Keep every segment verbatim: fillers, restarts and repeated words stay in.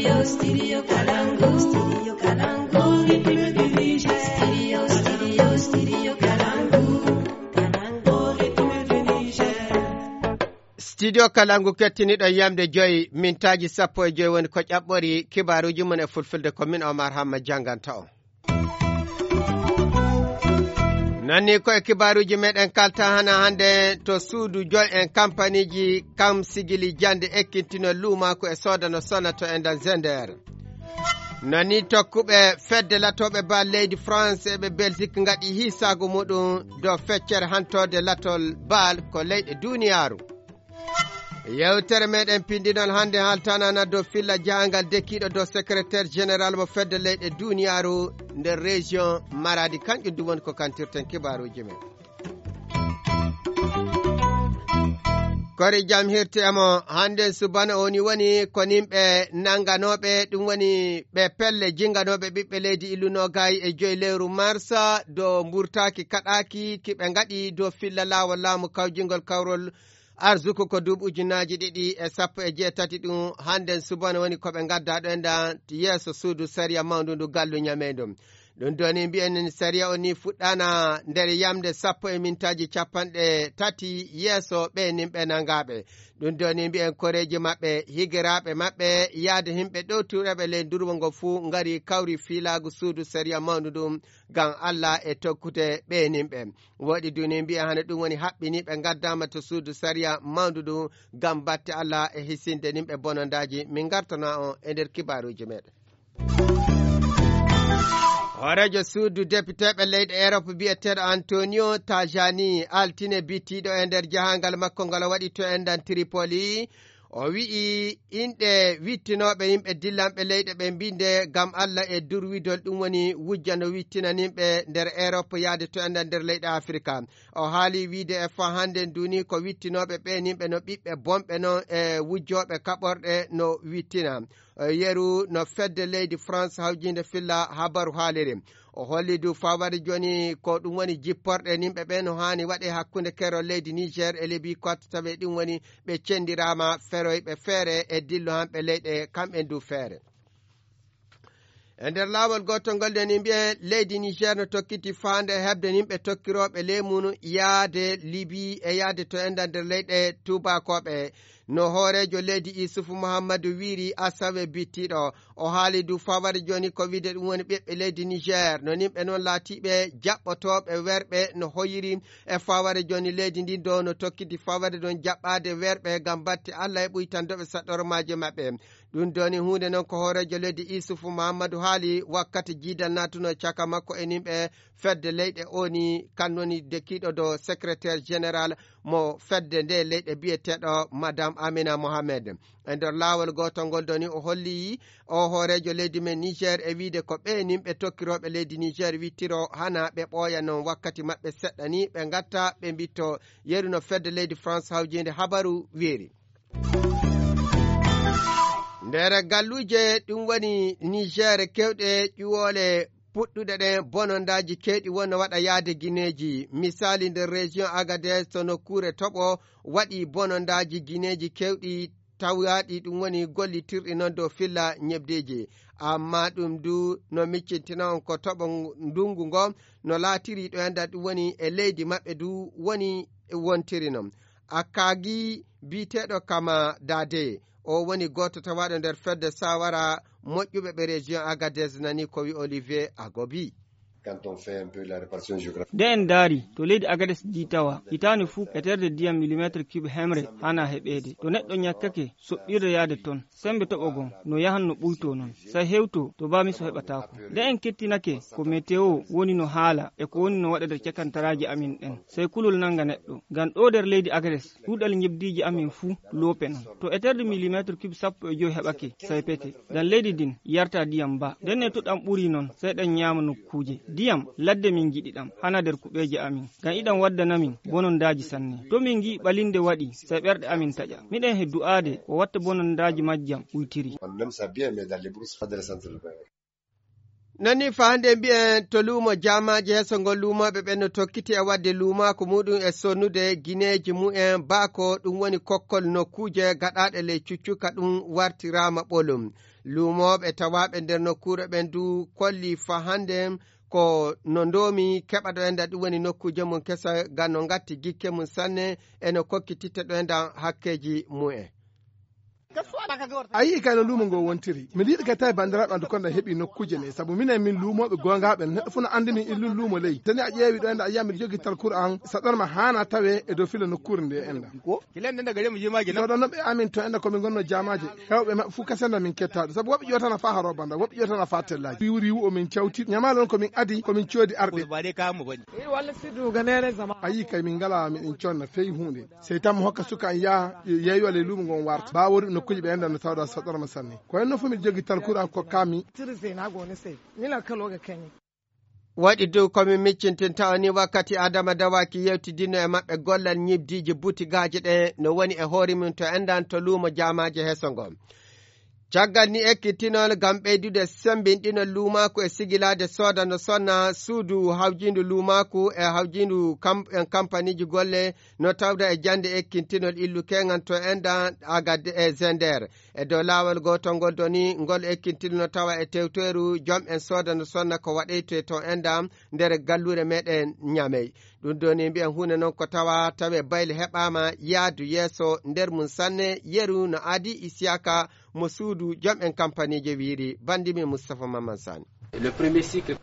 Studio Kalangu. Studio Kalangu. Studio, studio, studio Kalangu. Kalangu. Studio Kalangu kettiniɗo yamde joyi mintaaji sappo e joyi woni ko ƴaɓɓori kibaaruuji mum e fulfulde ko min Omar Hamma jannganta on. Nani ko e kibaaruuji meɗen kalta hana hannde to suudu joy en kampaniiji kam sigili jannde ekkintino luumaaku e soodano sona to endan Zender. Nani tokkuɓe fedde latooɓe bal leydi France e ɓe Belgique ngaɗi hiisaagu muɗum dow feccere hantoode latol bal ko leyɗe duniyaaru. Yewtere meɗen pinndinol hannde haaltanana dow filla jahangal dekiiɗo dow secrétaire général mo fedde leyɗe duniyaaru nder région Maradi, kanƴum ɗum woni ko kantirten kibaaruuji men. Kori jam hirti e mo hannde subana oni woni ko nimɓe nanganooɓe, ɗum woni ɓe pelle jinganooɓe ɓiɓɓe leydi illu nogayi e joyi lewru marsa dow mburtaaki kaɗaaki ki ɓe ngaɗi dow filla laawol laamu kawjingol kawrol arsuku ko duuɓi ujunnaaji ɗiɗi e sappo e jeetati ɗum, hannden subana woni ko ɓe ngaddaa ɗo enɗan yeeso suudu sariya mawndu ndu gallu ñameyndo. Ɗum ɗoni mbiyen sariya o ni fuɗɗaana nder yamnde sappo e mintaaji capanɗe tati yeeso ɓe nin ɓe nangaaɓe. Ɗum ɗoni mbiyen koreeji maɓɓe, higiraaɓe maɓɓe, yaade himɓe ɗowtureɓe ley ndurwo ngo fuu ngari kawri fiilaagu suudu sariya mawndu ndun ngam Alla e tokkude ɓe nin ɓe. Woɗi duni mbiya hano ɗum woni haɓɓini ɓe ngaddaama to suudu sariya mawndu ndu ngam batte Alla e hisinde nin ɓe bonondaaji. Min ngartana on e nder kibaaruuji meɗen. Hooreejo suudu depiteeɓe leyɗe Erop biyeteeɗo Antonio Tajani altine bittiiɗo e nder jahangal makko ngal o waɗi to endan Tripoli. O wi'i inɗe wittinooɓe yimɓe dillanɓe leyɗe ɓe mbinde ngam Alla e durwidol ɗum woni wujja no wittina nimɓe nder Erop yaade to enɗan nder leyɗe Afirka. O haali wiide e faa hannden duuni ko wittinooɓe ɓe nimɓe no ɓiɓɓe bonɓe non e wujjooɓe kaɓorɗe no wittina. Yeru no fedde leydi France hawjinde filla habaru haaliri. O holli du fawade jooni ko ɗum woni jipporɗe nimɓe ɓe no haani waɗe hakkunde kero leydi Niger e Libi ko tawe ɗum woni ɓe cendiraama feroyɓe feere e dillo hanɓe leyɗe kamɓe du feere. E nder laawol gootol ngol de ni mbiyen leydi Niger no tokkiti faande heɓde nimɓe tokkirooɓe leemun yaade Libi e yaade to enda nder leyɗe tuubakooɓe. No hooreejo leydi Isufu Muhammadu wiiri asawe bittiiɗo, o haali du fawade jooni ko wiide ɗum woni ɓiɓɓe leydi Niger, no nimɓe noon laatiiɓe jaɓɓotooɓe werɓe no hoyiri e fawade jooni leydi ndin do no tokkiti fawade ɗon jaɓɓaade werɓe ngam batte Alla e ɓuytandoɓe saɗɗormaaji maɓɓe. Ɗum doni huunde noon ko hooreejo leydi Isufu Muhammadu haali wakkati jiidal naatuno caka makko e nimɓe fedde leyɗe oni, kan woni dekiiɗo do secrétaire général mo fedde nde leyɗe biyeteeɗo Madame Amina Mohamed. E nder laawol gootol ngol doni o holli o hooreejo leydi men Niger e wiide ko ɓe nimɓe tokkirooɓe leydi Niger wittiro hana ɓe ɓooya noon wakkati maɓɓe seɗɗa ni ɓe ngatta ɓe mbitto yeru no fedde leydi France hawjinde habaru weeri. Nder galluuje ɗum woni Niger kewɗe ƴuwoole puɗɗuɗe ɗen bonondaaji kewɗi wonno waɗa yaade gineeji. Misaali nder région Agadez to nokkuure toɓo waɗi bonondaaji gineeji kewɗi tawaaɗi ɗum woni gollitirɗi noon dow filla ñebdeeji. Amma ɗum du no miccintina on ko toɓo ndungu ngo no laatiri ɗo enda ɗum woni e leydi maɓɓe du woni wontiri noon. Akagi biyeteeɗo Kama Dade, o woni gooto tawaaɗo nder fedde sawara moƴƴuɓe ɓe région Agadez nani ko wi Olivier Agobi. Quand on fait un peu la répartition géographique. Nde en ndaari to leydi Agadez ndi tawa hitaande fuu eterde ndiyam millimétre cube hemre hana heɓeede. To neɗɗo ñakkake soɓɓirde yaade toon, sembe toɓo gon no yahan no ɓuytoo noon. Say hewtoo to bamiso heɓataako. Nde en kettinake ko météo woni no haala e ko woni no waɗa nder cakantaraaji amin ɗen. Say kulol nannga neɗɗo. Ngam ɗoo nder leydi Agadez, ɗuuɗal ñebdiiji amin fuu loope noon. To eterde millimétre cube sappo e joy heɓake, say pete. Ngam leydi ndin yarta ndiyam ba. Ndenne to ɗam ɓuri noon, say ɗam ñaama nokkuuje. Ndiyam ladde min ngiɗi ɗam, hana nder kuɓeeje amin. Ngam iɗam waddana min bonondaaji sanne. To min ngi'i ɓalinde waɗi, say ɓerɗe amin taƴa. Miɗen he du'aade o watta bonondaaji majjam uytiri. On aime ça bien, mais dans les brouses, pas de la centre urbaine. Nani fa hannde mbiyen to luumo jaamaaji heso ngol luumooɓe ɓen no tokkiti e waɗde luumaaku muɗum e sonnude gineeji mumen baako ɗum woni kokkol nokkuuje gaɗaaɗe ley cuccuka ɗum wartiraama ɓolum. Luumooɓe tawaaɓe nder nokkuure ɓen du kolli fa hannde ko no ndoomi keɓa ɗo enda ɗum woni nokkuuje mum kesa ga no ngatti gikke mum sanne e no kokkititta ɗo enda hakkeeji mumen. A yii kay no luumo ngo wontiri. Miɗo yiɗi kay tawi banndiraaɓe anndu konda heɓi nokkuuje ne sabu minen min luumooɓe goongaaɓe neɗɗo fof no anndi min illun luumo ley tani a ƴeewi ɗo enda a yiya miɗo jogi talkuru an saɗanma haana tawe e dow fila nokkuure nde enda. Soɗannoɓe amin to enda komin gonno jaamaaje hewɓe maɓɓe fof kasenda min kettaaɗo sabu woɓɓe ƴootana faa haroo banda woɓɓe ƴootana faa tellaaji riwu riwu o min cawti ñamaale on komin adi komin coodi arɓe. A yii kay min ngala miɗen conna fey huunde. Sey tan mo hokka suka an yaha yeeyo ley luumo ngon warta baa wori nokkuuji ɓe enda no tawda saɗorma sanne ko henno fof miɗo jogi talkuru an kokkami. Waɗi dow komin miccintinta o ni wakkati adama dawaki yewtidino e maɓɓe gollal ñibdiiji butigaaji ɗe no woni e hoore mum to endan to luumo jaamaaji heso ngo. Caggal ni ekkitinol ngam ɓeydude semmbinɗinol luumaaku e sigilaade sooda no sonna suudu hawjiindu luumaaku e hawjiindu en kampaniiji golle no tawda e jannde ekkintinol illu keŋan to enda agade e zender. E dow laawol gootol ngol doni ngol ekkintinol no tawa e tewtoyru jom'en sooda no sonna ko waɗeytoye to enda nder galluure meɗen ñamey. Ɗum doni mbiyen huunde noon ko tawa tawe bayle heɓaama yaadu yeeso nder mum sanne yeru no aadi isiyaka mo suudu jom en kampaniije wiiri banndi min mustapha mamman sani.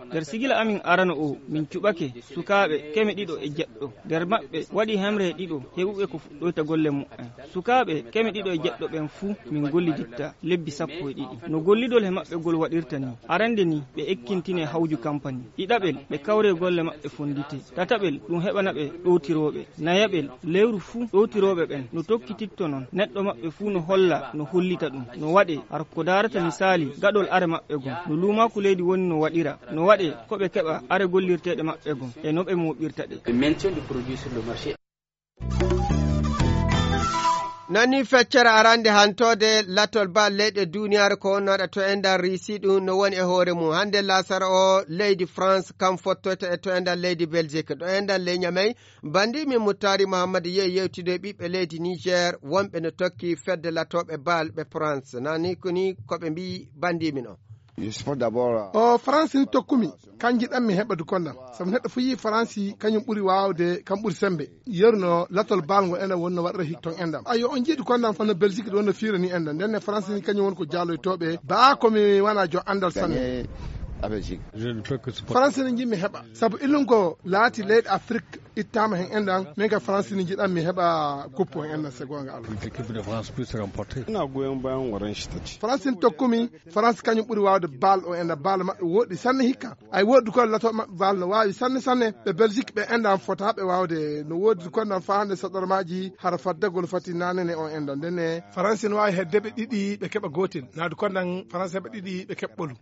Nder sigila amin arano o min cuɓake sukaaɓe keme ɗiɗo e jeɗɗo nder maɓɓe waɗi hemre e ɗiɗo heɓuɓe ko fuɗɗoyta golle mumen. Sukaaɓe keme ɗiɗo e jeɗɗo ɓen fuu min golliditta lebbi sappo e ɗiɗi no gollidol he maɓɓe gol waɗirta ni. Arande ni ɓe ekkintine hawju kampani. Ɗiɗaɓel ɓe kawre golle maɓɓe fondite. Tataɓel ɗum heɓana ɓe ɗowtirooɓe. Nayaɓel lewru fuu ɗowtirooɓe ɓen no tokkititto non neɗɗo maɓɓe fuu no holla no hollita ɗum no waɗe har ko darata misaali gaɗol are maɓɓe gon no luumaaku leydi woni no waɗira no waɗe ko ɓe keɓa are gollirteeɗe maɓɓe gon e no ɓe mooɓirta ɗe. Nani feccere arande hantode latol bal leyɗe duniyaaru ko wonnoɗa to e nder risi ɗum no woni e hoore mum hande lasara o leydi france kam fottoyta e to e nder leydi belgique ɗo e nder ley ñamey. Bandi min muttari mouhammad yehi yewtide ɓiɓɓe leydi niger wonɓe no tokki fedde latoɓe bal ɓe france nani koni koɓe mbi bandi min o. O faransi ni tokkumi kan jiɗanmi heɓa dukondam sabu neɗɗo fof yii faransi kañum ɓuri waawde kam ɓuri sembe. Yeru no latol bal ngo enen wonno waɗata hik ton endam ayo on jiiɗi kondam fano belgique ɗo wonno fiirani endam ndenne faransi ni kañum woni ko jaaloytooɓe baa komi wona jo anndal sanne. Faransi ni jiɗmi heɓa sabu illum ko laati leyɗe afrique ittama hen endam min ka faransi ni jiɗanmi heɓa kuppo hen endam se gonga allah. Faransi ni tokkumi faransi kañum ɓuri waawde bal o enda bal maɓɓe woɗɗi sanne hikka. Ay woɗɗi ko lato maɓɓe bal no waawi sanne sanne ɓe belgique ɓe enda fota ɓe waawde no woodi kondan fa hande saɗormaji hara faddagol fati nanene o enda ndene faransi no waawi hedde ɓe ɗiɗi ɓe keɓa gotel naadu kondan faransi heɓa ɗiɗi ɓe keɓɓolu.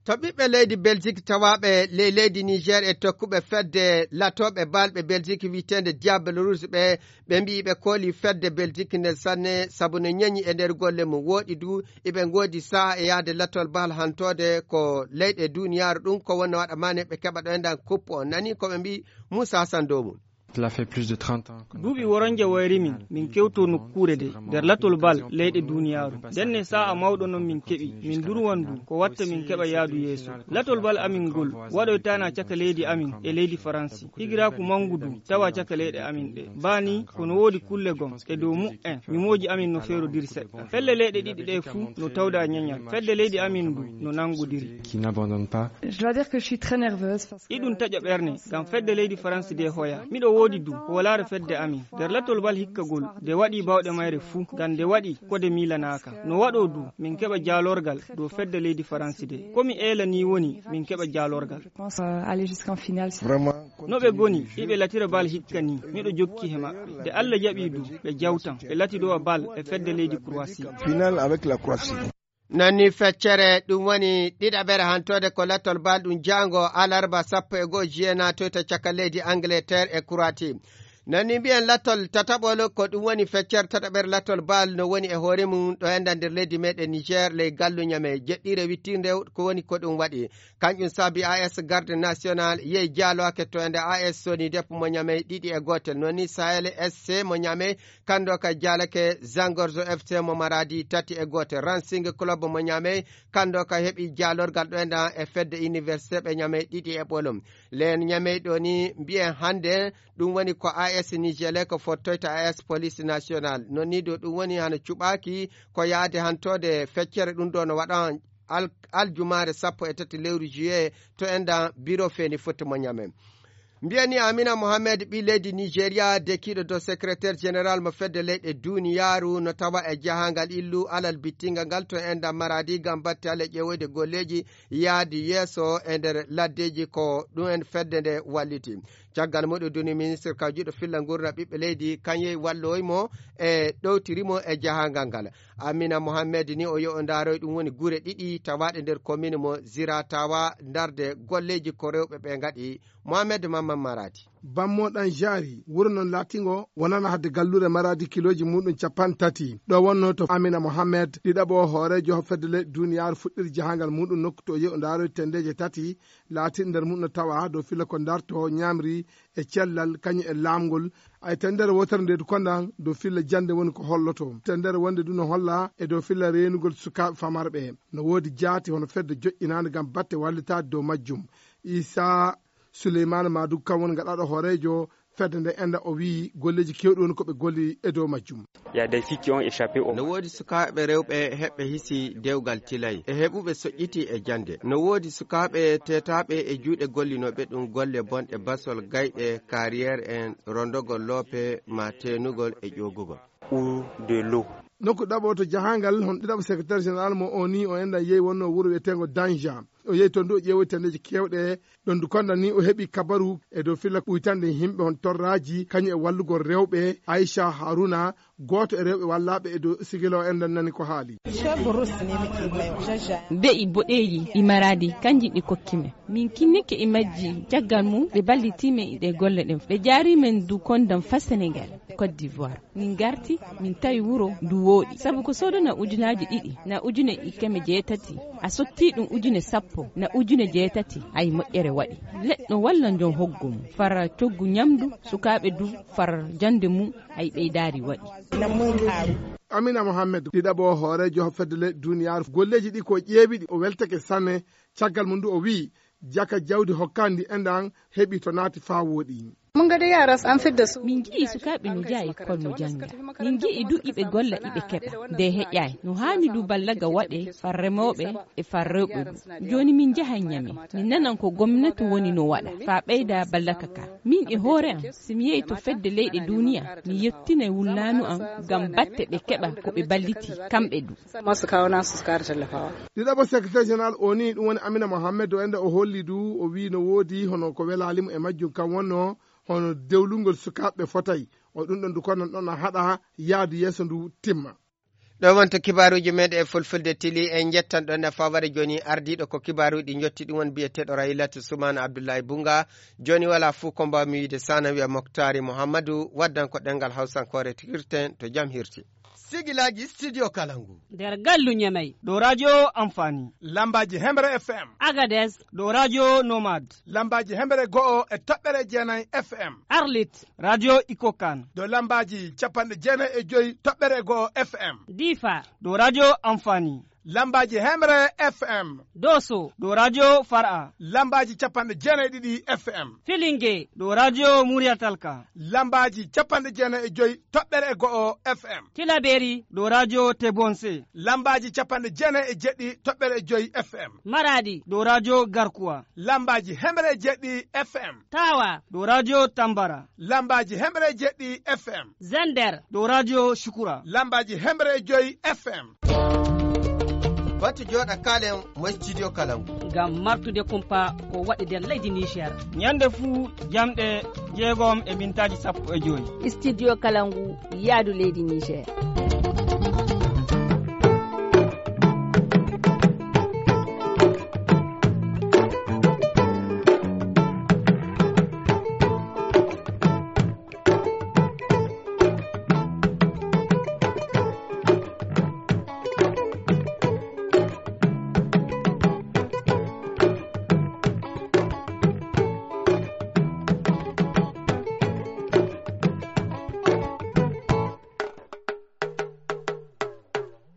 To ɓiɓɓe leydi belgique tawaɓe ley leydi niger e tokkuɓe fedde latoɓe balɓe belgique witende diable rouge ɓe ɓe mbiyi ɓe kooli fedde belgique nden sanne sabu no ñañi e nder golle mum wooɗi du iɓe ngoodi saha e yahde latol bahal hantode ko leyɗe duniyaaru ɗum ko wonno waɗa mane ɓe keɓa ɗo e ndan kuppo on nani koɓe mbi moussa hassan dow mum. Duuɓi woronje wayri min min kewto nokkuure de nder latol bal leyɗe duniyaaru ndenne sa'a mawɗo non min keɓi min durwan du ko watta min keɓa yaadu yeeso. Latol bal amin ngol waɗoytana caka leydi amin e leydi faransi higiraaku manngu du tawa caka leyɗe amin ɗe baa ni kono woodi kulle gom e dow mu'en ñumooji amin no feerodiri seɗɗa felle leyɗe ɗiɗi ɗe fuu no tawda ñañal fedde leydi amin ndu no nanngodiri. Iɗum taƴa ɓerne ngam fedde leydi faransi de hoya miɗo woodi du ko walaare fedde amin nder latol bal hikkagol nde waɗi bawɗe mayre fuu ngam nde waɗi ko de miilanaaka no waɗo du min keɓa jaalorgal dow fedde leydi faransi de ko mi eela ni woni min keɓa jaalorgal. No ɓe goni iɓe latira bal hikka ni miɗo jokki he maɓɓe nde allah jaɓi du ɓe jawtan ɓe latidowa bal e fedde leydi croatie. Nanni feccere ɗum woni ɗiɗaɓere hantode ko lattol bal ɗum jaango alarba sappo e goho juillet natoyta caka leydi angleterre e croatie. Nani mbiyen lattol tataɓol, ko ɗum woni feccere tataɓere lattol Baal no woni e hoore mum ɗo enda nder leydi meɗen Niger, ley gallu Ñamey. Jeɗɗire wittirnde ko woni ko ɗum waɗi. Kanƴum saabi A S Garde National yehi jaaloake to ende A S Soni Dep mo Ñamey ɗiɗi e gootel. Noon ni Sahel S C mo Ñamey, kanndo ka jaalake Zangorzo F C mo Maradi tati e gootel. Racing Club mo Ñamey, kanndo ka heɓi jaalorgal ɗo enda e fedde Université ɓe Ñamey ɗiɗi e ɓolum. Leen Ñamey ɗo ni mbiyen hannde ɗum woni ko A S Nigelec fottoyta A S Police National. Noon ni ɗo ɗum woni hano cuɓaaki ko yaade hantoode feccere ɗum ɗo no waɗan al-, aljumaare sappo e tati lewru juillet to endan biro feeni fotti mo Ñamey. Mbiyani Amina Mohamed, ɓii leydi Nigeria, dekiiɗo dow secrétaire général mo fedde leyɗe duniyaaru, no tawa e jahangal illu alal bittingal ngal to endan Maradi ngam batte ale ƴeewoyde golleeji yaadi yeeso e nder laddeeji ko ɗum en fedde nde walliti. Caggal muɗum duni ministre kawjuɗo filla ngurna ɓiɓɓe leydi, kañum walloyi mo e ɗowtiri mo e jahangal ngal. Amina Mohamed ni o yo o ndaaroy ɗum woni gure ɗiɗi tawaaɗe nder commune mo Ziratawa, ndarde golleeji ko rewɓe ɓe ngaɗi. Mohamed Mamman Maradi. Bammo ɗan jaari, wuro non laatingo wonana hadde galluure Maradi kilooji muɗum capanɗe tati. Ɗo wonno to Amina Mohamed, ɗiɗaɓo hooreejo fedde leyɗe duniyaaru fuɗɗiri jahangal muɗum nokku to yehi o ndaaroy tendeeje tati, laatin nder mum no tawa dow filla ko darto ñamri e cellal kañum e laamgol. Ay tendere wotere nde du kondan dow filla jannde woni ko holloto. Tendere wonde du no holla e dow filla reenugol sukaaɓe famarɓe. No woodi jaati hono fedde joƴƴinaande ngam batte wallitaade dow majjum. Isa Suleymaana Maadu kam woni gaɗaaɗo hooreejo fedde nde enda o wiyi golleeji keewɗi woni ko ɓe golli e dow majjum. Il y a des filles qui ont échappé au No woodi sukaaɓe rewɓe heɓɓe hisi dewgal tilay e heɓuɓe soƴƴiti e jannde. No woodi sukaaɓe teetaaɓe e juuɗe gollinooɓe ɗum golle bonɗe basol gayɗe, carrière en, rondogol loope, ma teenugol e ƴoogugol. Ou de l'eau. Nokku ɗaɓo to jahangal, hon ɗiɗaɓo secrétaire général mo O N U o enɗan yehi wonno wuro wiyeteengo Danja. O yehi toon du o ƴeewoyi tendeeji keewɗe. Ɗon du kondan ni o heɓi kabaru e dow filla ɓuytande yimɓe hon torraaji, kañum e wallugol rewɓe. Aisha Haruna, gooto e rewɓe wallaaɓe e dow sigila o enɗan nani ko haali. Be'i boɗeeji ɗi Maradi, kanji ɗi kokki men. Min kinnike e majji, caggal mum ɓe ballitii men e ɗe golle ɗen. Ɓe jaarii men du kondan fa Senegal, Côte d'Ivoire. Min garti, min tawi wuro ndu wooɗi. Sabu ko soodana ujunaaji ɗiɗi, na ujune e keme jeetati. A sottii ɗum ujune sappo, na ujune jeetati. Ay moƴƴere waɗi. Leɗɗo walla njon hoggo mum. Far coggu ñamdu, sukaaɓe du far jannde mum, ay ɓeydaari waɗi. Amina Mohamed, ɗiɗaɓo hooreejo fedde leyɗe duniyaaru. Golleeji ɗi ko ƴeewiɗi, o weltake sanne. Caggal mum du o wiyi, jaka jawdi hokkaandi enɗan heɓi to naati faa wooɗi. Mun ga dai yara an fidda su. Min ngi'i sukaaɓe no njaha ekkol no jannga. Min ngi'i du iɓe golla iɓe keɓa. Nde heƴaay. No haani du ballaga waɗe far remooɓe e far rewɓe du. Jooni min njahay Ñame. Min nanan ko gomnati woni no waɗa. Faa ɓeyda ballaka ka. Min e hoore am, si mi yehi to fedde leyɗe duuniya, mi yettinay wullaanu am ngam batte ɓe keɓa ko ɓe balliti, kamɓe du. Masu kawo nasu su kare tallafawa. Ɗiɗaɓo secrétaire général O N U ɗum woni Amina Mohamed o enda o holli du o wi no woodi hono ko welaali mo e majjum kam wonno hono dewlungol sukaaɓe fotay. O ɗum ɗon du kono ɗon a haɗa yaadu yeeso ndu timma. Ɗo wonto kibaaruuji meɗen e fulfulde tili en njettan ɗon e faware jooni ardiiɗo ko kibaaruuji ɗi njotti ɗum won biyeteeɗo Rahilatu Sumaana Abdullahi Bunga. Jooni wala fuu ko mbawmi wiide sana wiya Moktari Muhammadu waddan ko ɗengal Hawsankoore hirten to jam hirti. Sigilaaji Studio Kalangu. Nder gallu Ñamey. Ɗo radio Amfani. Lambaaji Hemre F M. Agades. Ɗo radio Nomad. Lambaaji Hemre go'o e toɓɓere jeenay F M. Arlit. Radio Ikokan. Ɗo lambaaji capanɗe jeenay e joy toɓɓere go'o F M. Difa. Ɗo radio Amfani. Lambaaji Hemre F M. Doso. Ɗo radio Far'a. Lambaaji capanɗe jeenay ɗiɗi F M. Filinge. Ɗo radio Muriyatalka. Lambaaji capanɗe jeenay e joy toɓɓere e go'o F M. Tilaberi. Ɗo radio Tebonse. Lambaaji capanɗe jeenay e jeɗɗi toɓɓere e joy F M. Maradi. Ɗo radio Garkuwa. Lambaaji hemre e jeɗɗi F M. Tawa. Ɗo radio Tambara. Lambaaji hemre e jeɗɗi F M. Zender. Ɗo radio Shukura. Lambaaji hemre e joy F M. Batu jooɗa kaalen mo studio Kalangu. Ngam martude kumpa ko waɗi nder leydi Niger. Ñande fuu jamɗe jeegom e mintaaji sappo e joy. Studio Kalangu yaadu leydi Niger.